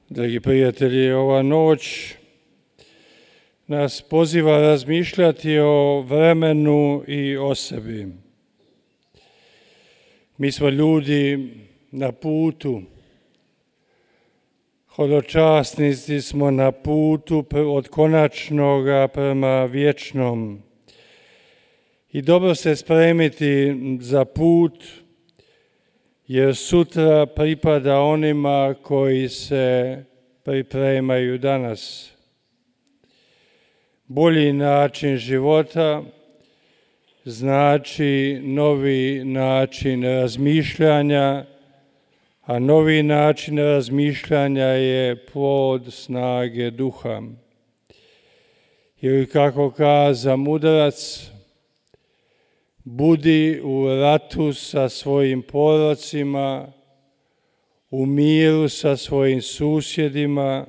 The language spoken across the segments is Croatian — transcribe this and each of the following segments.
Dragi prijatelji, ova noć nas poziva razmišljati o vremenu i o sebi. Mi smo ljudi na putu, hodočasnici smo na putu od konačnoga prema vječnom. I dobro se spremiti za put, jer sutra pripada onima koji se pripremaju danas. Bolji način života znači novi način razmišljanja, a novi način razmišljanja je plod snage duha. Ili kako kaza mudrac, budi u ratu sa svojim porocima, u miru sa svojim susjedima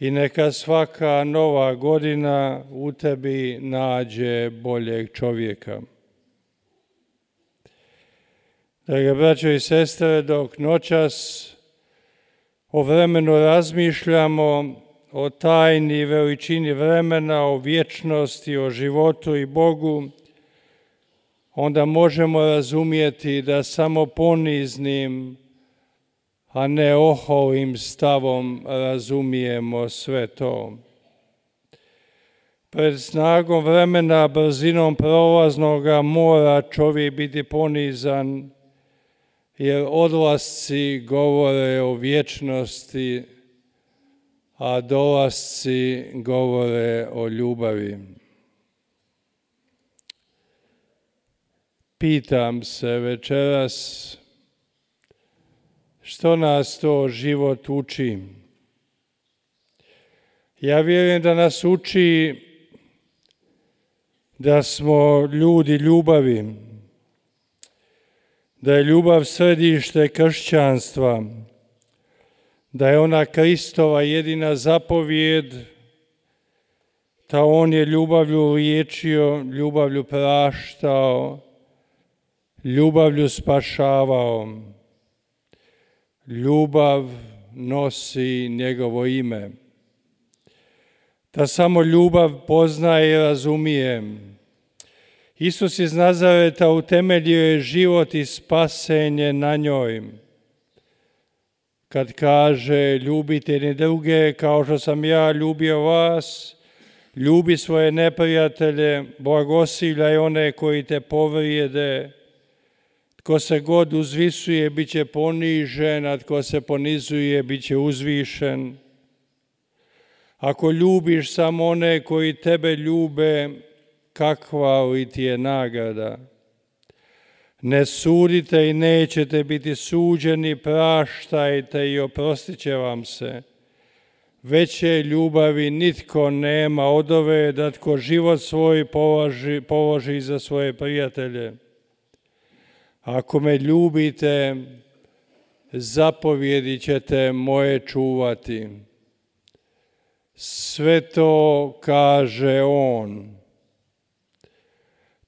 i neka svaka nova godina u tebi nađe boljeg čovjeka. Drage braćo i sestre, dok noćas o vremenu razmišljamo, o tajni i veličini vremena, o vječnosti, o životu i Bogu, onda možemo razumjeti da samo poniznim, a ne oholim stavom razumijemo sve to. Pred snagom vremena, brzinom prolaznoga mora čovjek biti ponizan, jer odlasci govore o vječnosti, a dolasci govore o ljubavi. Pitam se večeras, što nas to život uči? Ja vjerujem da nas uči da smo ljudi ljubavi, da je ljubav središte kršćanstva, da je ona Kristova jedina zapovijed, da on je ljubavlju liječio, ljubavlju praštao, ljubavlju spašavao. Ljubav nosi njegovo ime. Da samo ljubav poznaje i razumije. Isus iz Nazareta utemeljio je život i spasenje na njoj. Kad kaže ljubite jedni druge kao što sam ja ljubio vas, ljubi svoje neprijatelje, blagosilaj one koji te povrijede. Tko se god uzvisuje, bit će ponižen, a tko se ponizuje, bit će uzvišen. Ako ljubiš samo one koji tebe ljube, kakva li ti je nagrada? Ne sudite i nećete biti suđeni, praštajte i oprostit će vam se. Veće ljubavi nitko nema od ove da tko život svoj položi za svoje prijatelje. Ako me ljubite, zapovjedi ćete moje čuvati. Sve to kaže on.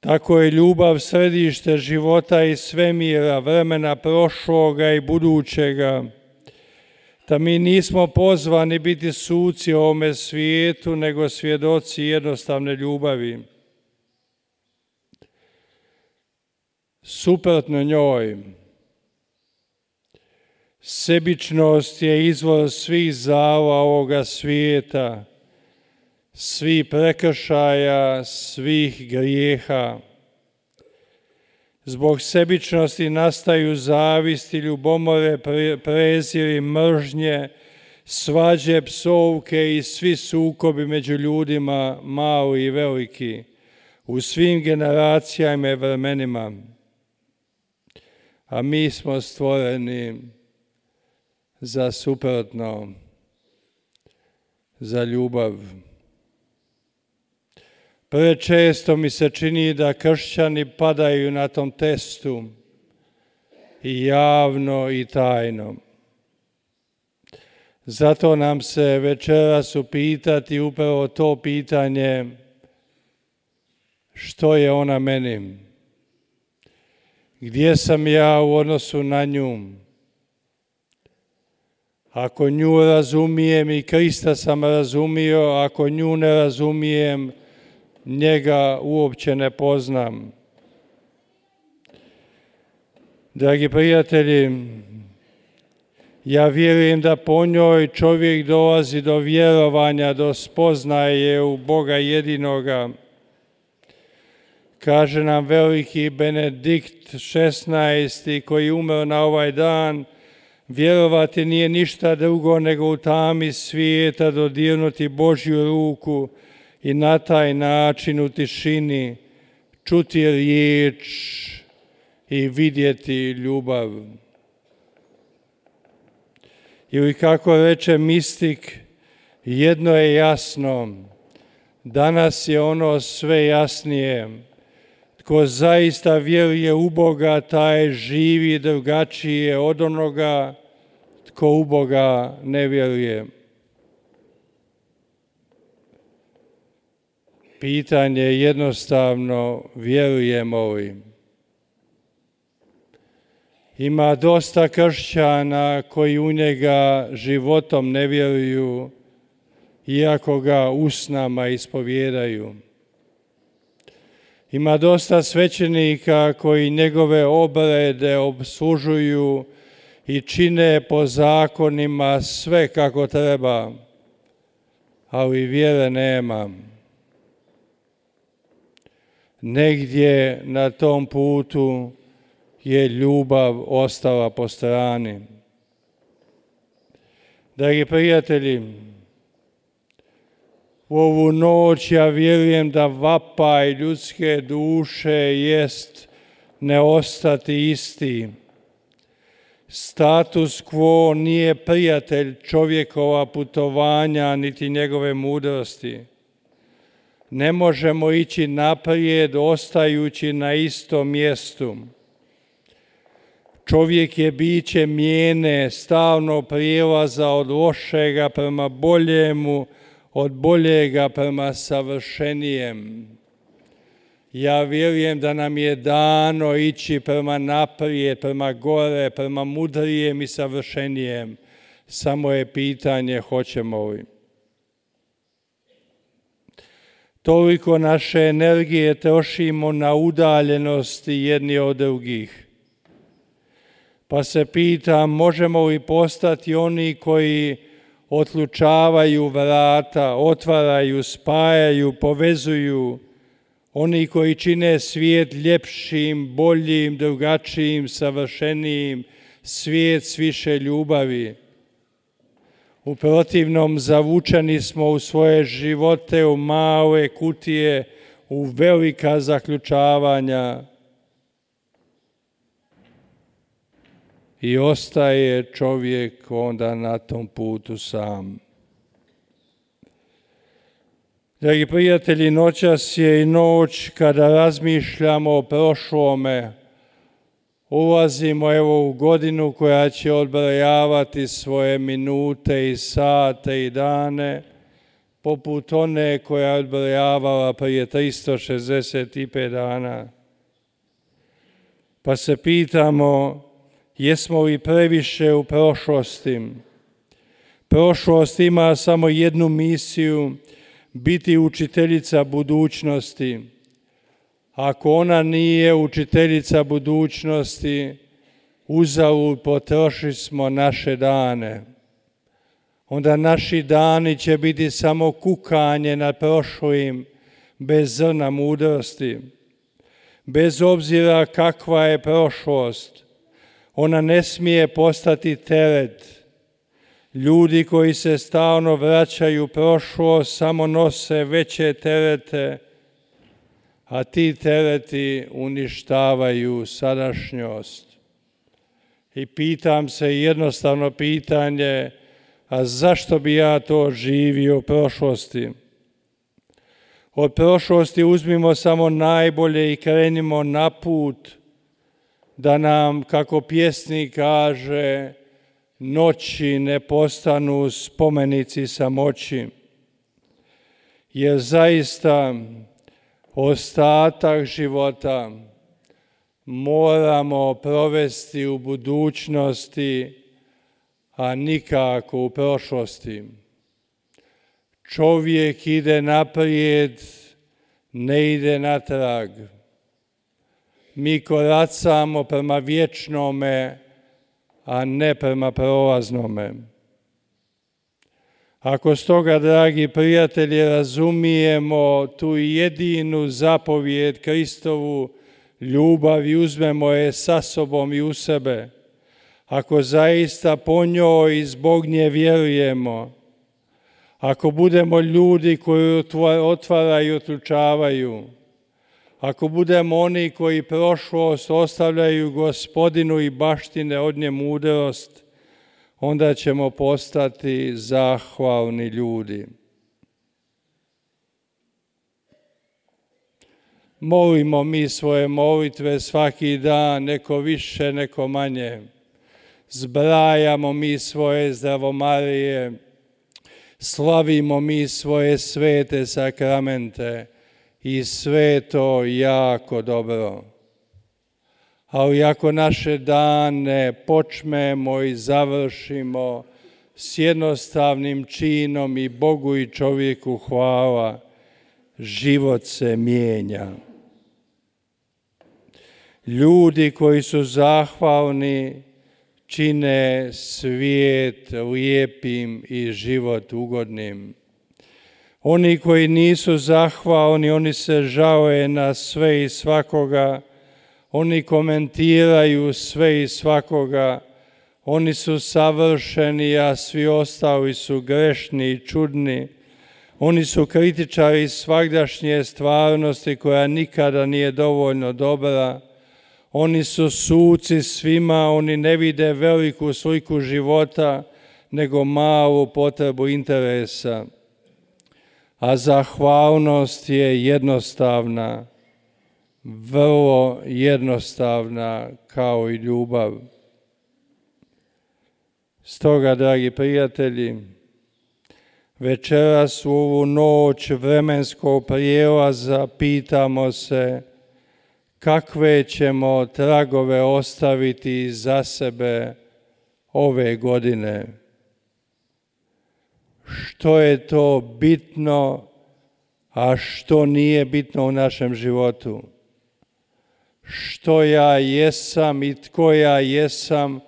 Tako je ljubav središte života i svemira, vremena prošloga i budućega. Da mi nismo pozvani biti suci u ovome svijetu, nego svjedoci jednostavne ljubavi. Suprotno njoj, sebičnost je izvor svih zala ovoga svijeta, svih prekršaja, svih grijeha. Zbog sebičnosti nastaju zavisti, ljubomore, preziri, mržnje, svađe, psovke i svi sukobi među ljudima, mali i veliki, u svim generacijama i vremenima. A mi smo stvoreni za suprotno, za ljubav. Prečesto mi se čini da kršćani padaju na tom testu, i javno i tajno. Zato nam se večeras upitati upravo to pitanje, što je ona meni? Gdje sam ja u odnosu na nju? Ako nju razumijem i Krista sam razumio, ako nju ne razumijem, njega uopće ne poznam. Dragi prijatelji, ja vjerujem da po njoj čovjek dolazi do vjerovanja, do spoznaje u Boga jedinoga. Kaže nam veliki Benedikt XVI. Koji umro na ovaj dan, vjerovati nije ništa drugo nego u tami svijeta dodirnuti Božju ruku i na taj način u tišini čuti riječ i vidjeti ljubav. Ili kako reče mistik, jedno je jasno, danas je ono sve jasnije. Tko zaista vjeruje u Boga, taj živi drugačije od onoga tko u Boga ne vjeruje. Pitanje je jednostavno, vjerujemo li? Ima dosta kršćana koji u njega životom ne vjeruju, iako ga usnama ispovjedaju. Ima dosta svećenika koji njegove obrede opslužuju i čine po zakonima sve kako treba, ali vjere nema. Negdje na tom putu je ljubav ostala po strani. Dragi prijatelji, u ovu noć ja vjerujem da vapaj ljudske duše jest ne ostati isti. Status quo nije prijatelj čovjekova putovanja niti njegove mudrosti. Ne možemo ići naprijed ostajući na istom mjestu. Čovjek je biće mijene, stalno prijelaza od lošega prema boljemu, od boljega prema savršenijem. Ja vjerujem da nam je dano ići prema naprijed, prema gore, prema mudrijem i savršenijem. Samo je pitanje hoćemo li. Toliko naše energije trošimo na udaljenosti jedni od drugih. Pa se pitam, možemo li postati oni koji otlučavaju vrata, otvaraju, spajaju, povezuju, oni koji čine svijet ljepšim, boljim, drugačijim, savršenijim, svijet s više ljubavi. U protivnom zavučeni smo u svoje živote, u male kutije, u velika zaključavanja i ostaje čovjek onda na tom putu sam. Dragi prijatelji, noćas je i noć kada razmišljamo o prošlome. Ulazimo evo u godinu koja će odbrojavati svoje minute i sate i dane, poput one koja je odbrojavala prije 365 dana. Pa se pitamo, jesmo li previše u prošlosti? Prošlost ima samo jednu misiju, biti učiteljica budućnosti. Ako ona nije učiteljica budućnosti, uzalud potrošili smo naše dane. Onda naši dani će biti samo kukanje nad prošlim, bez zrna mudrosti. Bez obzira kakva je prošlost, ona ne smije postati teret. Ljudi koji se stalno vraćaju u prošlost samo nose veće terete, a ti tereti uništavaju sadašnjost. I pitam se jednostavno pitanje, a zašto bi ja to živio u prošlosti? Od prošlosti uzmimo samo najbolje i krenimo na put da nam, kako pjesnik kaže, noći ne postanu spomenici samoći. Jer zaista ostatak života moramo provesti u budućnosti, a nikako u prošlosti. Čovjek ide naprijed, ne ide natrag. Mi koracamo prema vječnome, a ne prema prolaznome. Ako stoga, dragi prijatelji, razumijemo tu jedinu zapovijed Kristovu, ljubav, i uzmemo je sa sobom i u sebe, ako zaista po njoj i zbog nje vjerujemo, ako budemo ljudi koji otvaraju i otključavaju, ako budemo oni koji prošlost ostavljaju Gospodinu i baštine od nje mudrost, onda ćemo postati zahvalni ljudi. Molimo mi svoje molitve svaki dan, neko više, neko manje. Zbrajamo mi svoje zdravomarije, slavimo mi svoje svete sakramente i sve to jako dobro. Ali ako naše dane počnemo i završimo s jednostavnim činom i Bogu i čovjeku hvala, život se mijenja. Ljudi koji su zahvalni čine svijet lijepim i život ugodnim. Oni koji nisu zahvalni, oni se žale na sve i svakoga, oni komentiraju sve i svakoga, oni su savršeni, a svi ostali su grešni i čudni. Oni su kritičari svagdašnje stvarnosti koja nikada nije dovoljno dobra. Oni su suci svima, oni ne vide veliku sliku života, nego malu potrebu interesa. A zahvalnost je jednostavna, vrlo jednostavna kao i ljubav. Stoga, dragi prijatelji, večeras u ovu noć vremenskog prijelaza pitamo se kakve ćemo tragove ostaviti za sebe ove godine. Što je to bitno, a što nije bitno u našem životu? Što ja jesam i tko ja jesam,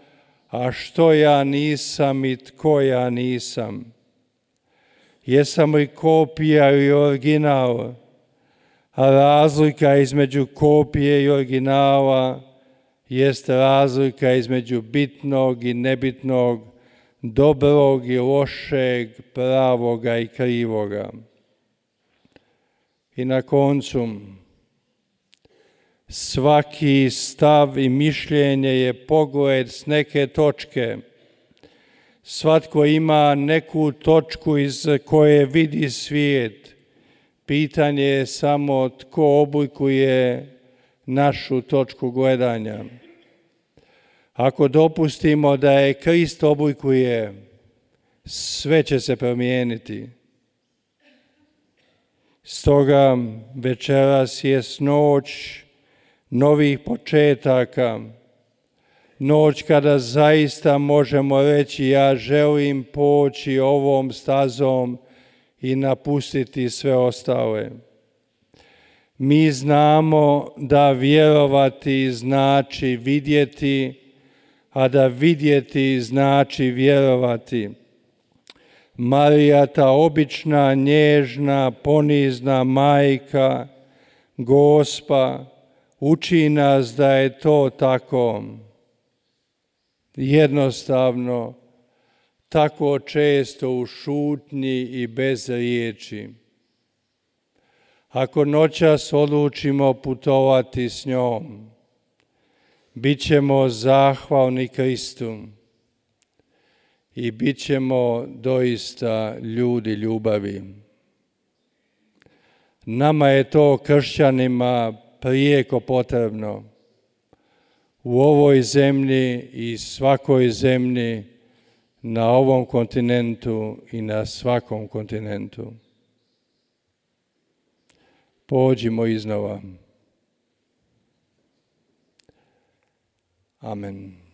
a što ja nisam i tko ja nisam? Jesam li kopija ili original? A razlika između kopije i originala jest razlika između bitnog i nebitnog, dobrog i lošeg, pravoga i krivoga. I na koncu, svaki stav i mišljenje je pogled s neke točke. Svatko ima neku točku iz koje vidi svijet. Pitanje je samo tko oblikuje našu točku gledanja. Ako dopustimo da je Krist oblikuje, sve će se promijeniti. Stoga večeras je noć novih početaka, noć kada zaista možemo reći ja želim poći ovom stazom i napustiti sve ostale. Mi znamo da vjerovati znači vidjeti, a da vidjeti znači vjerovati. Marija, ta obična, nježna, ponizna majka, Gospa, uči nas da je to tako. Jednostavno, tako često u šutnji i bez riječi. Ako noćas odlučimo putovati s njom, bit ćemo zahvalni Kristu i bit ćemo doista ljudi ljubavi. Nama je to kršćanima prijeko potrebno. U ovoj zemlji i svakoj zemlji, na ovom kontinentu i na svakom kontinentu. Pođimo iznova. Amen.